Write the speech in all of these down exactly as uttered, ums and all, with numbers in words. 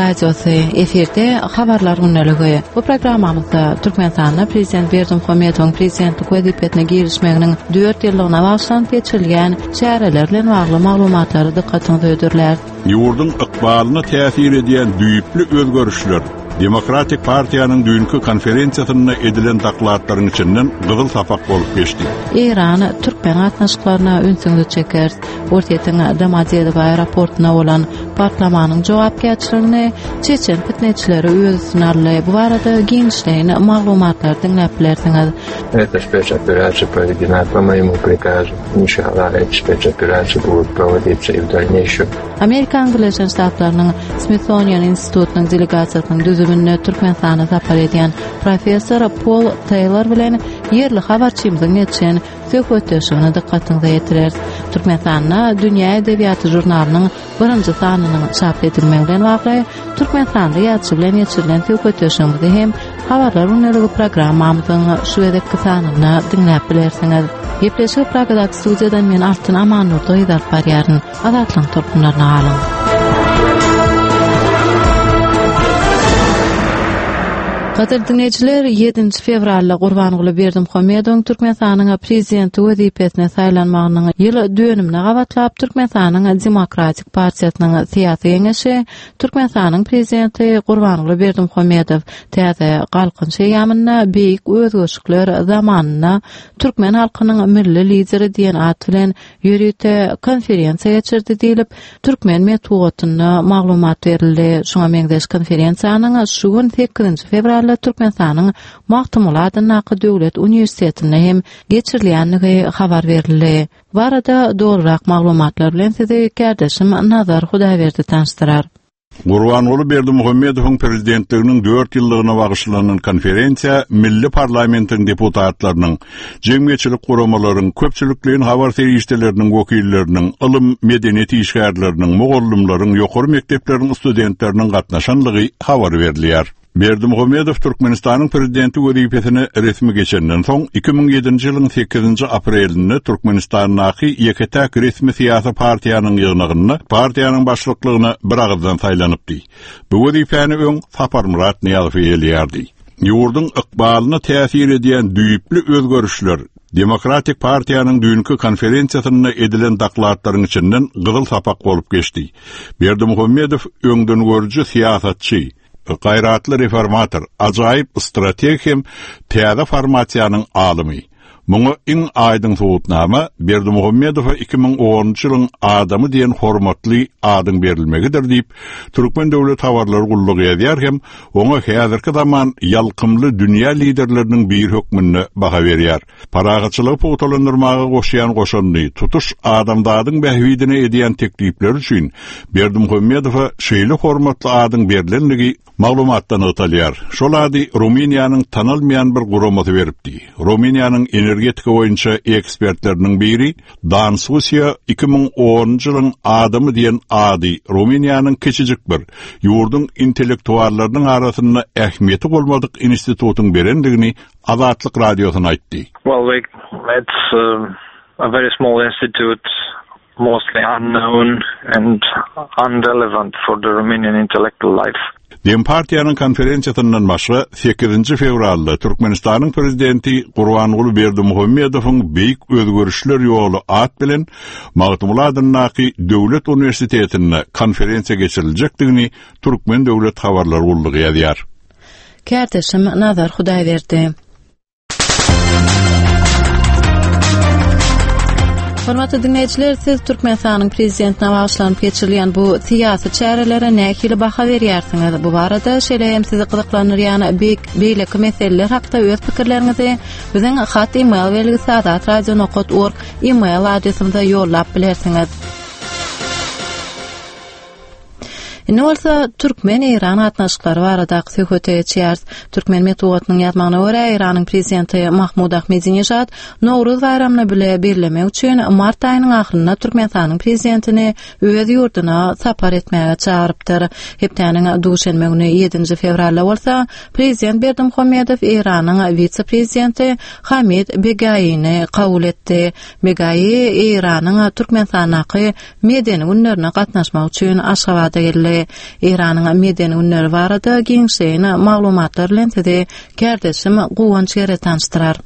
Radiosy, efirde Habarlar gündeligi. Bu programmamyzda Türkmenistanda Prezident Berdimuhamedowyň prezidentlik wezipesine girişmeginiň dört ýyllygyna bagyşlanyp geçirilýän çäreler bilen bagly maglumatlary dykgatyňyza hödürläris. Ýurduň ykbalyna täsir edýän düýpli özgerişler Demokratik partiýanyň düýnki konferensiýasynda edilen dokladlaryň içinden gyzyl sapak bolup geçdi. Eýran türkmen gatnaşyklaryna ünsüňizi çekeris. Orsýetiň Domodedowo aeroportuna bolan partlamanyň jogapkärçiligini çeçen pitneçileri öz üstüne aldy. Bu barada giňişleýin maglumatlary diňläp bilersiňiz. Эта спецоперация проведена по моему приказу. Иншаллах, эти спецоперации будут проводиться и в дальнейшем. Amerikanyň Birleşen Ştatlarynyň Smithsonian institutynyň delegasiýasynyň düzüminde Türkmenistana sapar edýän professor Pol Taylor bilen ýerli habarçymyzyň geçen söhbetdeşligine dykgatyňyza ýetireris. Türkmenistanda Dünýä edebiýaty žurnalynyň birinji sanynyň çap edilmegi bilen bagly Türkmenistanda ýazyjy bilen geçirilen söhbetdeşligimizi hem Habarlar gündeligi programmamyzyň şu gezekki sanynda diňläp bilersiňiz. Gepleşigi Pragadaky studiýadan men Altyn Amannurdy gyz alyp barýaryn. Azatlygyň tolkunlaryna galyň. Gadyrly diňleýjiler, ýedinji fewralda Gurbanguly Berdimuhamedowyň Türkmenistanyň Prezidenti wezipesine saýlanmagynyň ýyl dönümine gabatlap Türkmenistanyň Demokratik partiýasynyň syýasy geňeşi Türkmenistanyň Prezidenti Gurbanguly Berdimuhamedow täze Galkynyş eýýamynda beýik özgerişikler zamanynda türkmen halkynyň milli lideri diýen at bilen ýörite konferensiýa geçirdi diýlip, türkmen metbugatynda maglumat berildi. Şuňa meňzeş konferensiýanyň şu gün sekizinji fewralda Türkmenistanyň Magtymguly adyndaky döwlet uniwersitetinde hem geçirilýändigi habar berildi. Bu barada dolurak maglumatlar bilen sizi kärdeşim Nazar Hudaýberdi tanyşdyrar. Gurbanguly Berdimuhamedowyň prezidentliginiň dört ýyllygyna bagyşlanan konferensiýa milli parlamentiň deputatlarynyň, jemgyýetçilik guramalaryň, köpçülikleýin habar serişdeleriniň wekilleriniň, ylym, medeniýet işgärleriniň, mugallymlaryň, ýokary mekdepleriň studentleriniň gatnaşanlygy habar berilýär. Berdimuhamedow Türkmenistanyň Prezidenti wezipesine resmi geçenden soň, iki müň ýedinji ýylyň sekizinji aprelinde Türkmenistandaky ýeke-täk resmi syýasy partiýanyň ýygnagynda partiýanyň başlyklygyna biragyzdan saýlanypdy. Bu wezipäni öň Saparmyrat Nyýazow eýeleýärdi. Ýurduň ykbalyna täsir edýän düýpli özgerişler Demokratik partiýanyň düýnki konferensiýasynda edilen dokladlaryň içinden gyzyl sapak bolup geçdi. Berdimuhamedow öňdengörüji syýasatçy, gaýratly reformator, ajaýyp strateg hem täze formasiýanyň alymy. Muňa iň aýdyň subutnama Berdimuhamedowa iki müň onunjy ýylyň adamy diýen hormatly adyň berilmegidir diýip, Türkmen döwlet habarlary gullugy ýazýar hem oňa häzirki zaman ýalkymly dünýä liderleriniň biri hökmünde baha berýär. Parahatçylygy pugtalandyrmaga goşýan goşandy, tutuş adamzadyň bähbidine edýän teklipleri üçin Berdimuhamedowa şeýle hormatly adyň berlenligi maglumatda nygtalýar. Şol ady Rumyniýanyň tanalmaýan bir guramasy beripdi. Rumyniýanyň energetika boýunça ekspertleriniň biri Dan Susiýa iki müň onunjy ýylyň adamy diýen ady Rumyniýanyň kiçijik bir ýurduň intellektuallarynyň arasynda ähmiýeti bolmadyk institutyň berendigini Azatlyk Radiosyna aýtdy. Well, we, it's, uh, a very small institute, mostly unknown and unrelevant for the Romanian intellectual life. Dempartiýanyň konferensiýasyndan başga sekizinji fewralda Türkmenistanyň Prezidenti Gurbanguly Berdimuhamedowyň Beýik özgerişler ýoly at bilen Magtymguly adyndaky Döwlet uniwersitetinde konferensiýa geçiriljekdigini Türkmen döwlet habarlar gullugy ýazýar. Kärdeşim Nazar Hudaýberdi. Hormatly diňleýjiler, siz Türkmenistanyň Prezidentine bagyşlanyp geçirilýän bu syýasy çärelere nähili baha berýärsiňiz? Bu barada, şeýle hem sizi gyzyklandyrýan beýleki meseleler hakda öz pikirleriňizi biziň hat e-mail belgisi azatradio nokat org e-mail adresimize ýollap bilersiňiz. Indi bolsa türkmen-eýran gatnaşyklary baradaky söhbete geçýäris. Türkmen metbugatynyň ýazmagyna görä, Eýranyň prezidenti Mahmud Ahmedinejad Nowruz baýramyny bile bellemek üçin mart aýynyň ahyrynda Türkmenistanyň prezidentini öz ýurduna sapar etmäge çagyrypdyr. Hepdäniň duşenbe güni ýedinji fewralda bolsa prezident Berdimuhamedow Eýranyň wise-prezidenti Hamid Begaýyny kabul etdi. Begaýy Eýranyň Türkmenistandaky medeni günlerine gatnaşmak üçin Aşgabada geldi. geçirildi. Eýranyň medeni günleri barada giňişleýin maglumatlar bilen sizi kärdeşim Guwanç Gere tanyşdyrar.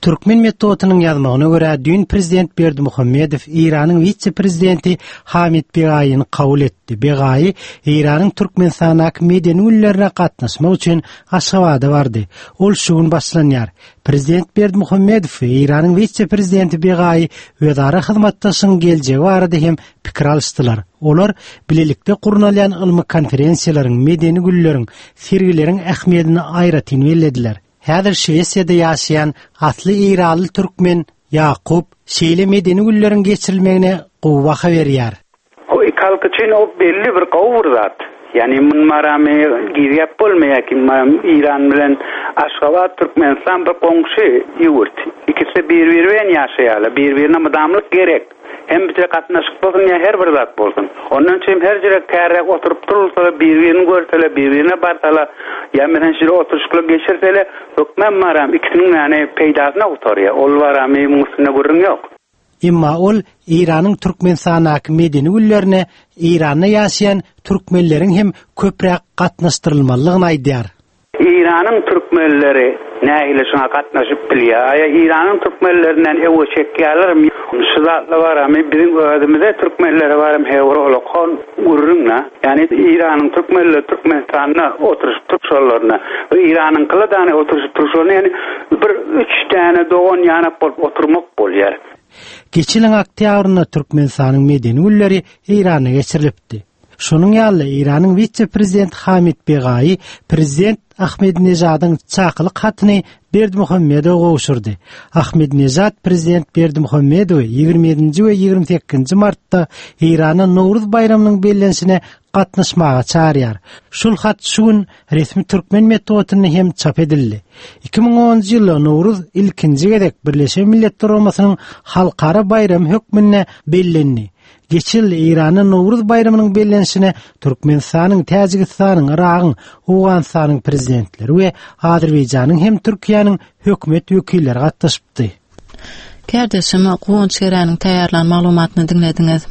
Türkmen metbugatynyň ýazmagyna görä düýn prezident Berdimuhamedow Eýranyň wise-prezidenti Hamid Begaýyny kabul etdi. Begaýy Eýranyň Türkmenistandaky medeni günlerine gatnaşmak üçin Aşgabada bardy. Ol şu gün başlanýar. Prezident Berdimuhamedow Eýranyň wise-prezidenti Begaýy özara hyzmatdaşlygyň geljegi barada hem pikir alyşdylar. Olar bilelikde gurnalýan ylmy konferensiýalaryň, medeni günleriň, sergileriň ähmiýetini aýratyn bellediler. Häzir Şwesiýada ýaşaýan asly Eýranly türkmen Ýakup şeýle medeni günleriň geçirilmegine gowy baha berýär. O iki halk üçin o belli bir gowy bir zat. Ýani mun maramy gizgäp bolmaýar ki Eýran bilen Aşgabat Türkmenistan bir goňşy ýurt. Ikisi bir-biri bilen ýaşaýarlar. Bir-birine mydamlyk gerek. Hem bize gatnaşyk bolsun ýa her bir zat bolsun. Ondan üçin her ýere kärek oturyp durulsa, bir-birini görseler, bir-birine barsalar, ýa menen şeýle oturyşyklar geçirseler, hökmän maram ikisiniň ýani peýdasyna gutarýar. Ol baramy muň üstünde gürrüň ýok. Emma ol Eýranyň Türkmenistandaky medeni günlerine Eýranda ýaşaýan türkmenleriň hem köpräk gatnaşdyrylmalydygyny aýdýar. Eýranyň türkmenleri nähili şuna gatnaşyp bilýär? Aýa Eýranyň türkmenlerinden ewe çekýärler. Şu zatlar baramy biziň özümize türkmenlere baram hewr olakon gürrüňle. Ýani Eýranyň türkmenleri Türkmenistanda oturyşyp turşalarına we Eýranyň kyladany oturyşyp turşalarına ýani bir üç tane dogan ýanak bolup oturmak bolýar. Geçen oktýabrynda Türkmenistanyň medeni günleri Eýranda geçirilipdi. Şonuň ýaly Eýranyň wise-prezident Hamid Begaýy prezident Ahmedinejadyň çakylyk hatyny Berdimuhamedowa gowşurdy. Ahmedinejad prezident Berdimuhamedowy ýigrimi ýedinji we ýigrimi sekizinji martda Eýrana Nowruz baýramynyň bellenişine gatnaşmaga çağırýar. Şul hat şu gün resmi türkmen metbugatynda hem çap edildi. iki müň onunjy ýylda Nowruz ilkinji gezek Birleşen Milletler Guramasynyň halkara baýramy hökmünde bellendi. Geçen ýyl Eýranda Nowruz baýramynyň bellenişine Türkmenistanyň, Täjigistanyň, Yragyň, Owganystanyň prezidentleri we Azerbaýjanyň hem Türkiýäniň hökümet wekilleri gatnaşypdy. Kärdeşim Guwanç Geräniň taýýarlan maglumatyny diňlediňiz.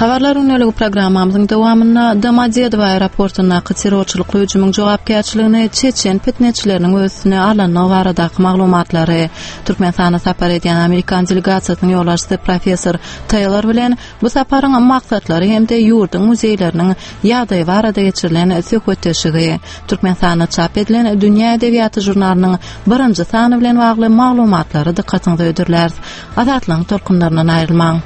Habarlar günlügi programmamyzyň dowamynda Domodedowo aeroportundaky terrorçylykly hüjümiň jogapkärçiligini Çeçen pitneçileriniň üstüne alanyny baradaky maglumatlary Türkmenistana sapar edýän Amerikan delegasiýasynyň ýolbaşçysy professor Taylor bilen bu saparyň maksatlary hem-de ýurduň muzeýleriniň ýagdaýy barada geçirilen söhbetdeşligi Türkmenistanda çap edilen Dünýä edebiýaty žurnalynyň birinji sany bilen bagly maglumatlary dykgatyňyza hödürläris. Azatlygyň tolkunlaryndan aýrylmaň.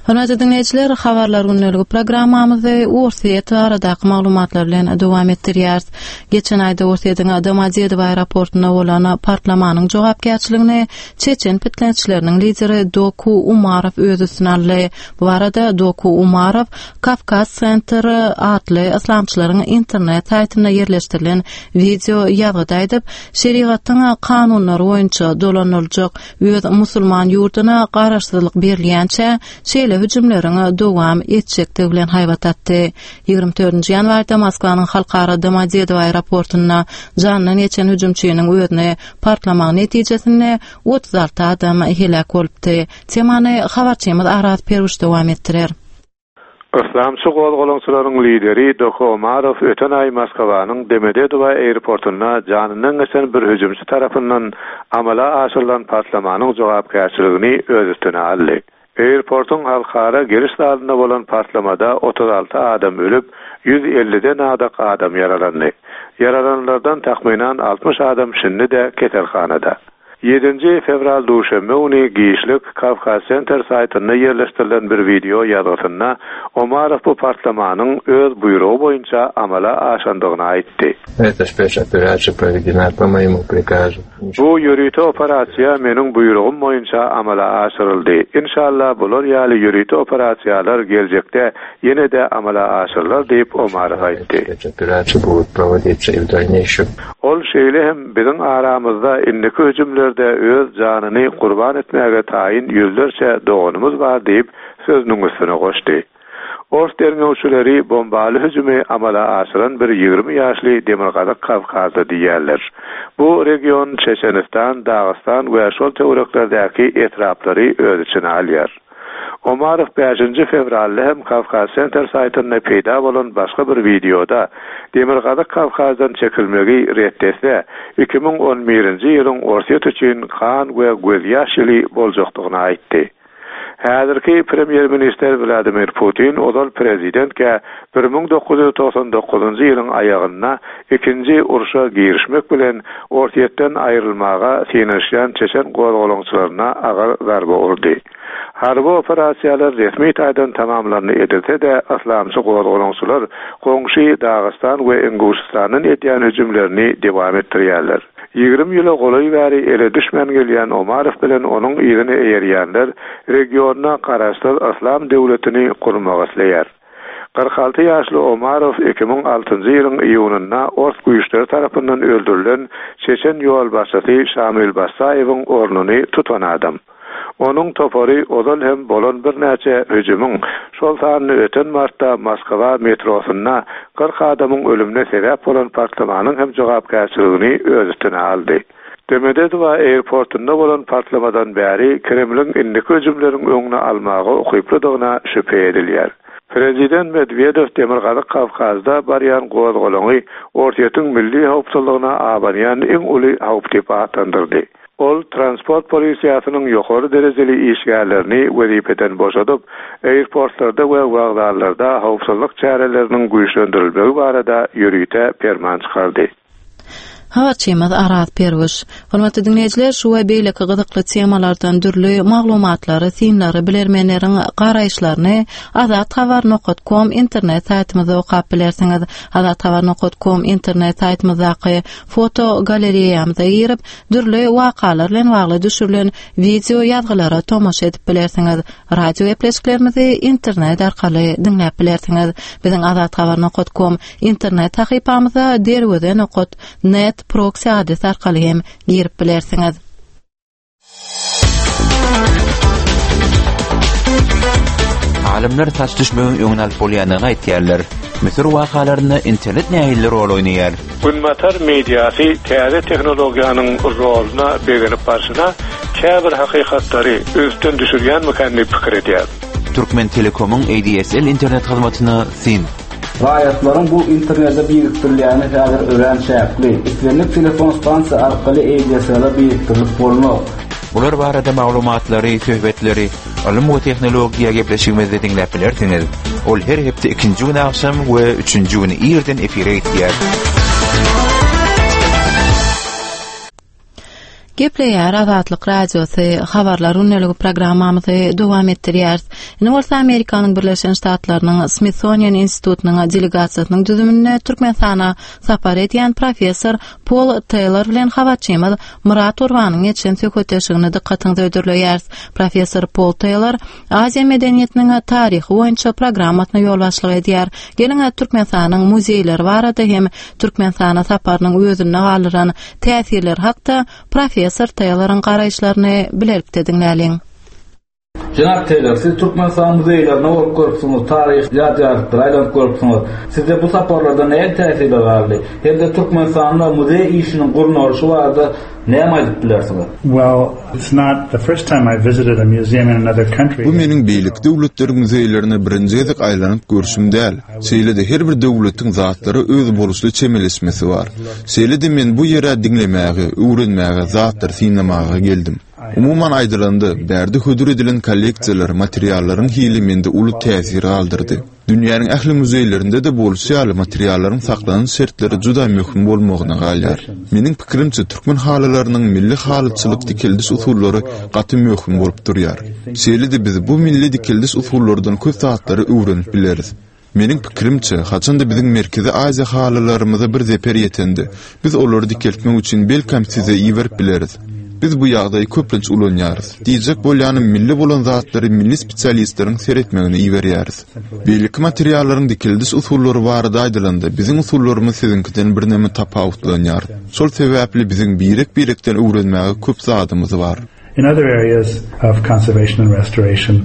Hormatly dinleýjiler, habarlar günlügi programmamyzy Orsýet baradaky maglumatlar bilen dowam etdirýäris. Geçen aýda Orsýetiň Domodedowo aeroportunda bolan partlamanyň jogapkärçiligini Çeçen pitneçileriniň lideri Doku Umarow öz üstüne aldy. Bu barada Doku Umarow Kafkas Center atly yslamçylaryň internet saýtynda ýerleşdirilen wideo ýazgyda aýdyp, şerigatyň kanunlary boýunça dolandyryljak öz musulman ýurduna garaşsyzlyk berilýänçä şeýle hüjümleriň dowam etjekdigi bilen haýbat atdy. Ýigrimi dördünji ýanwarda Moskwanyň halkara Domodedowo aeroportunda jandan geçen hüjümçiniň özüne partlamagy netijesinde otuz alty adam heläk bolupdy. Temany habarçymyz Araz Peruş dowam etdirer. Islamçy gozgalaňçylaryň lideri Doku Umarow öten aý Moskwanyň Domodedowo aeroportunda janyndan geçen bir hüjümçi tarapyndan amala aşyrylan partlamanyň jogapkärçiligini öz üstüne aldy. Airportuň halkara giriş zalynda bolan partlamada otuz alty adam ölüp, ýüz elliden adak adam ýaralandy. Ýaralanlardan takmynan altmyş adam şindi-de keselhanada. Ýedinji fewral duşenbe güni giçlik Kafkas Center saýtynda ýerleşdirilen bir wideo ýazgysynda Umarow bu partlamanyň öz buýrugy boýunça amala aşandygyny aýtdy. Эта спецоперация проведена по моему приказу. Bu ýörite operasiýa meniň buýrugym boýunça amala aşyryldy. Inşallah bular ýaly ýörite operasiýalar geljekde ýene-de amala aşyrylar diýip Umarow aýtdy. Спецоперация будет проводиться и в дальнейшем. Ol şeýle hem biziň aramyzda indiki hüjümlerde öz janyny gurban etmäge taýyn ýüzlerçe doganymyz bar diýip sözüniň üstüne goşdy. Ors derňewçileri bombaly hüjümi amala aşyran bir ýigrimi ýaşly Demirgazyk Kawkazda diýýärler. Bu region Çeçenistan, Dagystan we şol töwereklerdäki etraplary öz içine alýar. Omarow bäşinji fewralda hem Kawkaz Center saýtynda peýda bolan başga bir wideoda Demirgazyk Kawkazdan çekilmegi ret etse, iki müň on birinji ýylyň Orsýet üçin kan we gözýaş ýyly boljakdygyny aýtdy. Häzirki premýer-ministr Wladimir Putin ozal prezidentkä bir müň dokuz ýüz togsan dokuzynjy ýylyň aýagynda ikinji urşa girişmek bilen Orsýetden aýrylmaga synanyşýan çeçen gozgalaňçylaryna agyr zarba urdy. Harby operasiýalar resmi taýdan tamamlandy edilse-de, yslamçy gozgalaňçylar goňşy Dagystan we Inguşystandan edýän hüjümlerini dowam etdirýärler. Ýigrimi ýyla golaý bäri ele düşmän gelýän Omarow bilen onuň yzyny eýerýänler regionda garaşsyz yslam döwletini gurmak isleýär. Kyrk alty ýaşly Omarow iki müň altynjy ýylyň iýunynda ors güýçleri tarapyndan öldürilen çeçen ýolbaşçysy Şamil Basaýewiň ornuny tutan adam. Onuň topary ozal hem bolan birnäçe hüjümiň, şol sanda öten martda Moskwa metrosynda kyrk adamyň ölümine sebäp bolan partlamanyň hem jogapkärçiligini öz üstüne aldy. Domodedowo airportunda bolan partlamadan bäri Kremliň indiki hüjümleriň öňüni almaga ukyplydygyna şübhe edilýär. Prezident Medvedew Demirgazyk Kawkazda barýan gozgalaňy Orsýetiň milli howpsuzlygyna abanýan iň uly howp diýip atlandyrdy. Ol transport polisiýasynyň ýokary derejeli işgärlerini wezipeden boşadyp, airportlarda we wokzallarda howpsuzlyk çäreleriniň güýçlendirilmegi barada ýörite perman çykardy. Habarçymyz Araz Perwiş. Hormatly dinleýjiler, şu we beýleki gyzykly temalardan dürli maglumatlary, synlary, bilermenleriň garaýyşlaryny azat habar nokta com internet saýtymyzda okap bilersiňiz. Azat habar nokta com internet saýtymyzdaky foto galereýamyza girip, dürli wakalar bilen bagly düşürilen video ýazgylara tomaşa edip bilersiňiz. Radio gepleşiklerimizi internet arkaly diňläp bilersiňiz. Biziň azat habar nokta com internet sahypamyza derweze nokta net proxy adresi arkaly hem girip bilersiňiz. Alymlar saç düşmegiň öňüni alyp bolýandygyny aýtýarlar. Müsür wakalarynda internet nähili rol oýnaýar? Günbatar mediasy täze tehnologiýanyň roluna begenip barşyna käbir hakykatlary üstden düşürýänmikä diýip pikir edýär. Türkmen Telekomyň A D S L internet hyzmatyna syn. Raýatlaryň bu internete birikdirilýäni häzir örän çäkli. Islendik telefon stansiýa arkaly A D S L-e birikdirilip bolmaz. Bular barada maglumatlary, söhbetleri, ylym we tehnologiýa gepleşigimizde diňläp bilersiňiz. Ol her hepde ikinji gün agşam we üçünji gün irden efire gitýär. Gepleýär Azatlyk Radiosy habarlar gündeligi programmamyzy dowam etdirýäris. Indi bolsa Amerikanyň Birleşen Ştatlarynyň Smithsonian Institutynyň delegasiýasynyň düzüminde Türkmenistana sapar edýän professor Paul Taylor bilen habarçymyz Murat Gurbanyň geçen söhbetdeşligini dykgatyňyza hödürleýäris. Professor Paul Taylor Aziýa medeniýetiniň taryhy boýunça programmasyna ýolbaşçylyk edýär. Geliň Türkmenistanyň muzeýleri barada hem Türkmenistana saparynyň özünde galdyran täsirleri hakda Professor Tayloryň garaýyşlaryny bilelikde diňläliň. Jenap Taylor, siz Türkmenistan muzeýlerine bolup görüpsiňiz, taryh ýadygärlikleri aýlanyp görüpsiňiz. Sizde bu saparlarda näme täsirler galdy? Hem-de Türkmenistanda muzeý işiniň gurnalyşy barada näme aýdyp bilersiňiz? Well, it's not the first time I visited a museum in another country. Bu meniň beýleki döwletleriň muzeýlerine birinji gezek aýlanyp görüşüm däl. Şeýle-de her bir döwletiň zatlara öz boluşly çemeleşmesi bar. Şeýle-de men bu ýere diňlemäge, öwrenmäge, zatlary synlamaga geldim. Umuman aýdylanda, bärde hödür edilen kolleksiýalar, materiallaryň hili mende uly täsir galdyrdy. Dünýäniň ähli muzeýlerinde-de bolşy ýaly materiallaryň saklanyş şertleri juda möhüm bolmagyna galýar. Meniň pikirimçe, türkmen halylarynyň milli halyçylyk dikeldiş usullary gaty möhüm bolup durýar. Şeýle-de biz bu milli dikeldiş usullardan köp zatlary öwrenip bileris. Meniň pikirimçe, haçanda biziň Merkezi Aziýa halylarymyza bir zeper ýetende, biz olary dikeltmek üçin belkem size iberip bileris. Biz bu ýagdaýy köplenç ulanýarys. Diýjek bolýanym milli bolan zatlary milli spesialistleriň seretmegine iberýäris. Beýleki materiallaryň dikeldiş usullary barada aýdylanda, biziň usullarymyz siziňkiden birneme tapawutlanýar. Şol sebäpli biziň birek-birekden öwrenmäge köp zadymyz bar. In other areas of conservation and restoration,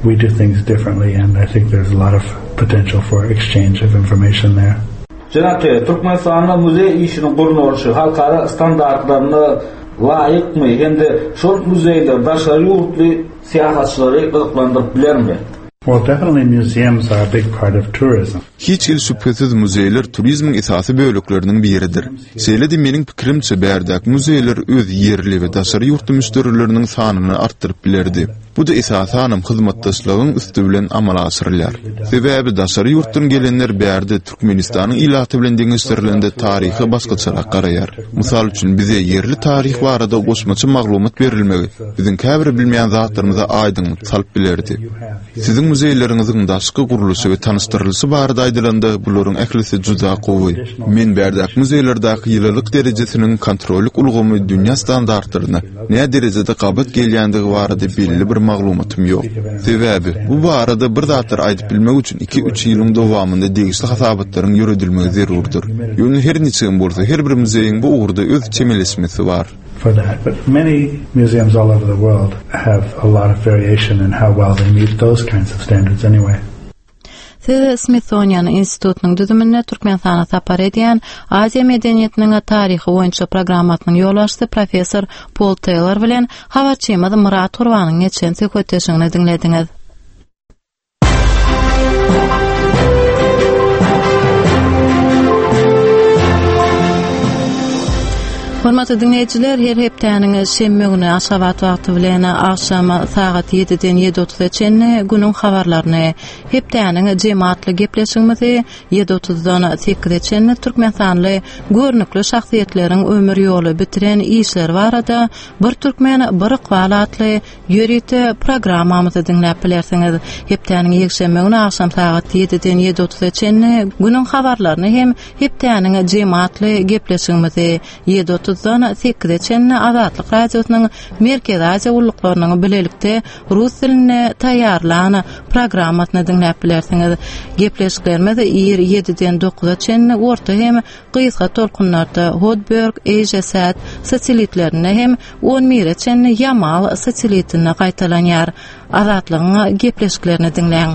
we do things differently, and I think there's a lot of potential for exchange of information there. Jenap Taylor, Türkmenistanda muzeý işiniň gurnalyşy halkara standartlaryna laýykmy hem-de şol muzeýler daşary ýurtly syýahatçylary gyzyklandyryp bilermi? Well, definitely museums are a big part of tourism. Hiç hili şübhesiz muzeýler turizmiň esasy bölekleriniň biridir. Şeýle-de meniň pikirimçe bärdäki muzeýler öz ýerli we daşary ýurtly müşderileriniň sanyny artdyryp bilerdi. Bu da esasanam hyzmatdaşlygyň üsti bilen amala aşyrylýar. Sebäbi daşary ýurtdan gelenler bärde Türkmenistanyň ilaty bilen deňeşdirilende taryha başgaçarak garaýar. Mysal üçin bize ýerli taryh barada goşmaça maglumat berilmegi biziň käbir bilmeýän zatlarymyza aýdyňlyk salyp bilerdi. Siziň muzeýleriňiziň daşky gurluşy we tanyşdyrylyşy barada aýdylanda bularyň ählisi juda gowy. Men bärdäki muzeýlerdäki ýylylyk derejesiniň kontrollyk ulgamy dünýä standartlaryna nä derejede gabat gelýändigi barada belli bir maglumatym ýok. Sebäbi bu barada bir zatlar aýdyp bilmek üçin iki-üç ýylyň dowamynda degişli hasabatlaryň ýöredilmegi zerurdyr. Ýöne her niçe bolsa her bir muzeýiň bu ugurda öz çemeleşmesi bar. For that, but many museums all over the world have a lot of variation in how well they meet those kinds of standards anyway. Siz Smithsonian institutynyň düzüminde Türkmenistana sapar edýän Aziýa medeniýetiniň taryhy boýunça programmasynyň ýolbaşçysy professor Paul Taylor bilen habarçymyz Murat Gurbanyň geçen söhbetdeşligini diňlediňiz. Hormatly dinleýjiler, her hepdäniň şenbe güni Aşgabat wagty bilen agşam sagat ýediden ýedi otuza çenli günüň habarlaryny, hepdäniň jemaatly gepleşigimizi ýedi otuzdan sekize çenli Türkmenistanly görnükli şahsyýetleriň ömür ýoly bitiren işleri barada Bir Türkmen bir ykbal atly ýörite programmamyzy diňläp bilersiňiz. Hepdäniň ýekşenbe güni agşam sagat ýediden ýedi otuza çenli günüň habarlaryny hem hepdäniň jemaatly gepleşigimizi ýedi otuzdan sekize çenli Azatlyk Radiosynyň Merkezi Aziýa gulluklarynyň bilelikde rus dilinde taýýarlan programmasyny diňläp bilersiňiz. Gepleşiklerimiz ir ýediden dokuza çenli orta hem gysga tolkunlarda Hotberg, Asiasat satelitlerinde hem on bire çenli Yamal satelitinde gaýtalanýar. Azatlygyň gepleşiklerini diňläň.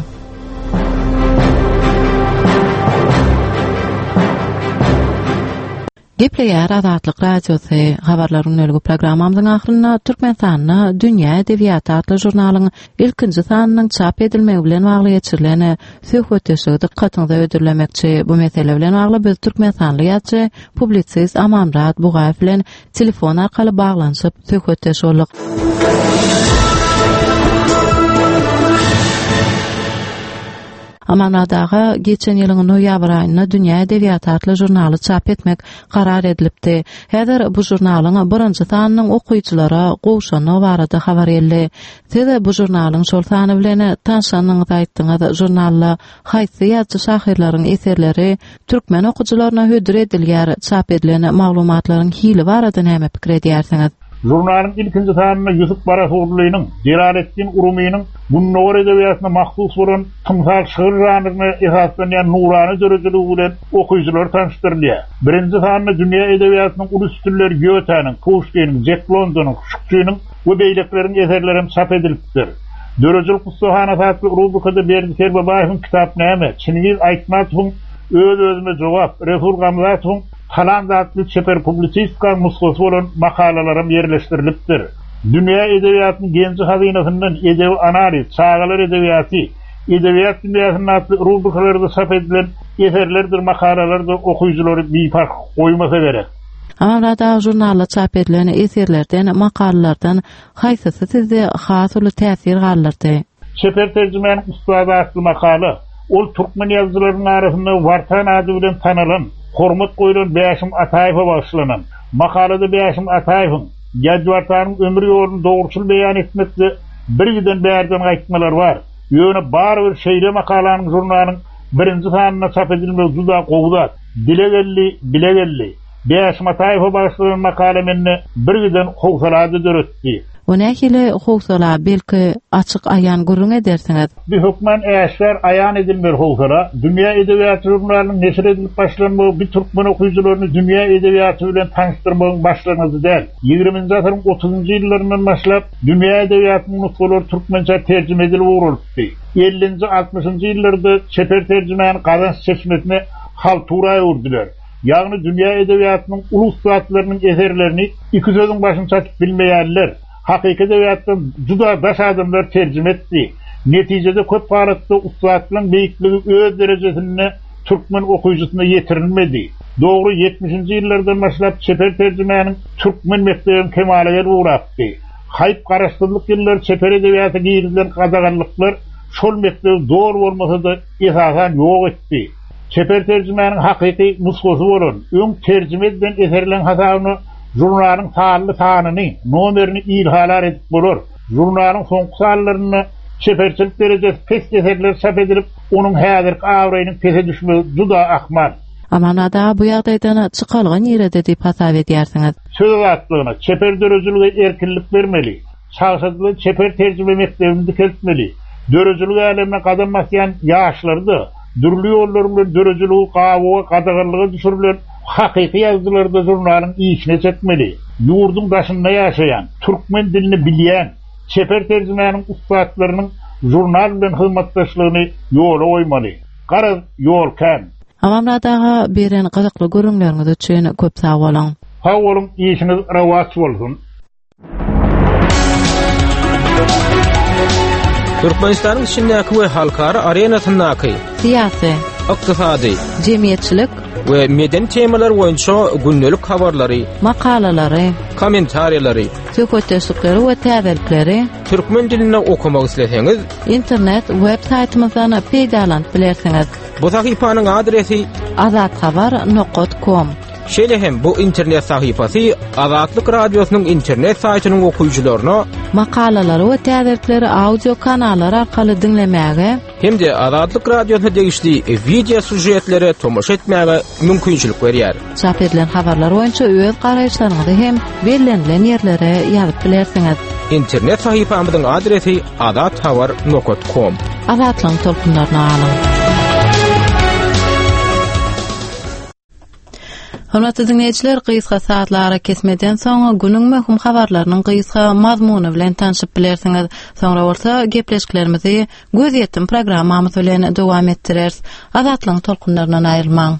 Gepleýär Azatlyk Radiosy habarlaryň nölgü programmamyzyň ahyrynda Türkmenistanda Dünýä edebiýaty atly žurnalyň ilkinji sanynyň çap edilmegi bilen bagly geçirilen söhbetdeşligi dykgatyňyza hödürlemekçi. Bu mesele bilen bagly biz Türkmenistanly ýazyjy, publisist Amanmyrat Bugaýew bilen telefon arkaly baglanyşyp söhbetdeş bolduk. Amanmyrat aga, geçen ýylyň noýabr aýynda Dünýä edebiýaty atly žurnaly çap etmek karar edilipdi. Häzir bu žurnalyň birinji sanynyň okyjylara gowşandygy barada habar geldi. Siz bu žurnalyň şol sany bilen tanşanyňyzy aýtdyňyz. Žurnalda haýsy ýazyjy şahyrlaryň eserleri türkmen okyjylaryna hödür edilýär, çap edilen maglumatlaryň hili barada näme pikir edýärsiňiz? Žurnalyň ilkinji sanynda Ýusup Barahurlynyň, Jelaletdin Urumynyň Gündogar edebiýatyna mahsus bolan tymsal şygyr žanryna esaslanýan nurana döredijiligi bilen okyjylar tanyşdyrylýar. Birinji sanynda dünýä edebiýatynyň uly üstünleri Gýotäniň, Puşkiniň, Jek Londonyň, Şukçynyň we beýlekleriň eserleri hem çap edilipdir. Döredijilik ussahanasy atly rubrikada Berdi Kerbabaýewiň Kitap näme, Çingiz Aýtmatowyň Öz-özüme jogap, Resul Gamzatowyň Talant atly çeper publisistika nusgasy bolan makalalaram ýerleşdirilipdir. Dünýä edebiýatynyň genji hazynasyndan edebi analiz, çagalar edebiýaty, edebiýat dünýäsinde atly rubrikalarda çap edilen eserlerdir, makalalardyr okyjylary biparh goýmasa gerek. Amanmyrat aga, žurnalda çap edilen eserlerden, makalalardan haýsysy sizde has uly täsir galdyrdy? Çeper terjimäniň ussady atly makala, ol türkmen ýazyjylarynyň arasynda Wartan ady bilen tanalan, hormat goýlan Bäşim Ataýewe bagyşlanan. Makalada Bäşim Ataýewiň Ýadwartanyň ömür ýoluny dogruçyl beýan etmekde bir giden bärden gaýtmalar bar. Ýöne barybir şeýle makalanyň žurnalyň birinji sanynda çap edilmegi juda gowy zat. Dile geldi, bile geldi. Bäşim Ataýewe bagyşlanan makala mende bir giden howsalady döretdi. O nähili howsala belki açyk aýan gürrüň edersiňiz? Bir hökman äşgär aýan edilmeli howsala, Dünýä edebiýaty žurnalynyň neşir edilip başlanmagy bir türkmen okyjylaryny dünýä edebiýaty bilen tanyşdyrmagyň başlangyjy däl. Ýigriminji asyryň otuzynjy ýyllaryndan başlap dünýä edebiýatynyň nusgalary türkmençe terjime edilip ugralypdy. Ellinji, altmyşynjy ýyllarda çeper terjimäni gazanç çeşmesine haltura öwürdiler. Ýagny dünýä edebiýatynyň uly ussatlarynyň eserlerini iki sözüň başyny çatyp bilmeýärler. Hakyky edebiýatdan juda daş adamlar terjime etdi. Netijede köp halatda ussatlaryň beýikligi öz derejesinde türkmen okyjysyna ýetirilmedi. Dogry ýetmişinji ýyllardan başlap çeper terjimäniň türkmen mekdebiniň kemala gelip ugrapdy. Haýp garaşsyzlyk ýyllary çeper edebiýata girizilen gadaganlyklar şol mekdebi doly bolmasa-da esasan ýok etdi. Çeper terjimäniň hakyky nusgasy bolan, öň terjime edilen eserlerin hasabyna žurnalyň sanly sanyny, nomerini ilhalar edip bolar. Žurnalyň soňky sanlarynda çeperçilik derejesi pes eserler çap edilip, onuň häzirki abraýynyň pese düşmegi juda ahmal. Amanada bu ýagdaýdan çykalga nirede diýip hasap edýärsiňiz? Söz azatlygyna, çeper döredijilige erkinlik bermeli. Çagşadylan çeper terjime mekdebini dikeltmeli. Döredijilik älemine gadam basýan ýaşlary-da dürli ýollar bilen döredijiligi gawyga, gadaganlyga düşürilen hakyky ýazyjylary-da žurnalyň işine çekmeli. Ýurduň daşynda ýaşaýan, türkmen dilini bilýän, çeper terjimäniň ussatlarynyň žurnal bilen hyzmatdaşlygyny ýola goýmaly. Garaz, ýol kän. Amanmyrat aga, beren gyzykly gürrüňleriňiz üçin köp sag boluň. Sag boluň, işiňiz rowaç bolsun. Türkmenistanyň içindäki we halkara arenasyndaky syýasy, ykdysady, jemgyýetçilik we medeni temalar boýunça gündelik habarlary, makalalary, kommentariýalary, söhbetdeşlikleri we täzelikleri türkmen dilinde okamak isleseňiz, internet web saýtymyzdan peýdalanyp bilersiňiz. Bu sahypanyň adresi azathabar nokta com. Şeýle hem bu internet sahypasy Azatlyk Radiosynyň internet saýtynyň okyjylaryna makalalary we täzelikleri audio kanallar arkaly diňlemäge hem-de Azatlyk Radiosyna degişli video süžetlere tomaşa etmäge mümkinçilik berýär. Çap edilen habarlar boýunça öz garaýyşlaryňyzy hem bellenilen ýerlere ýazyp bilersiňiz. Internet sahypamyzyň adresi azathabar nokta com. Azatlygyň tolkunlaryny alyň. Hormatly dinleýjiler, gysga saatlara kesmeden soň günüň möhüm habarlarynyň gysga mazmuny bilen tanşyp bilersiňiz. Soňra bolsa gepleşiklerimizi gözýetim programmamyz bilen dowam etdireris. Azatlygyň tolkunlaryndan aýrylmaň.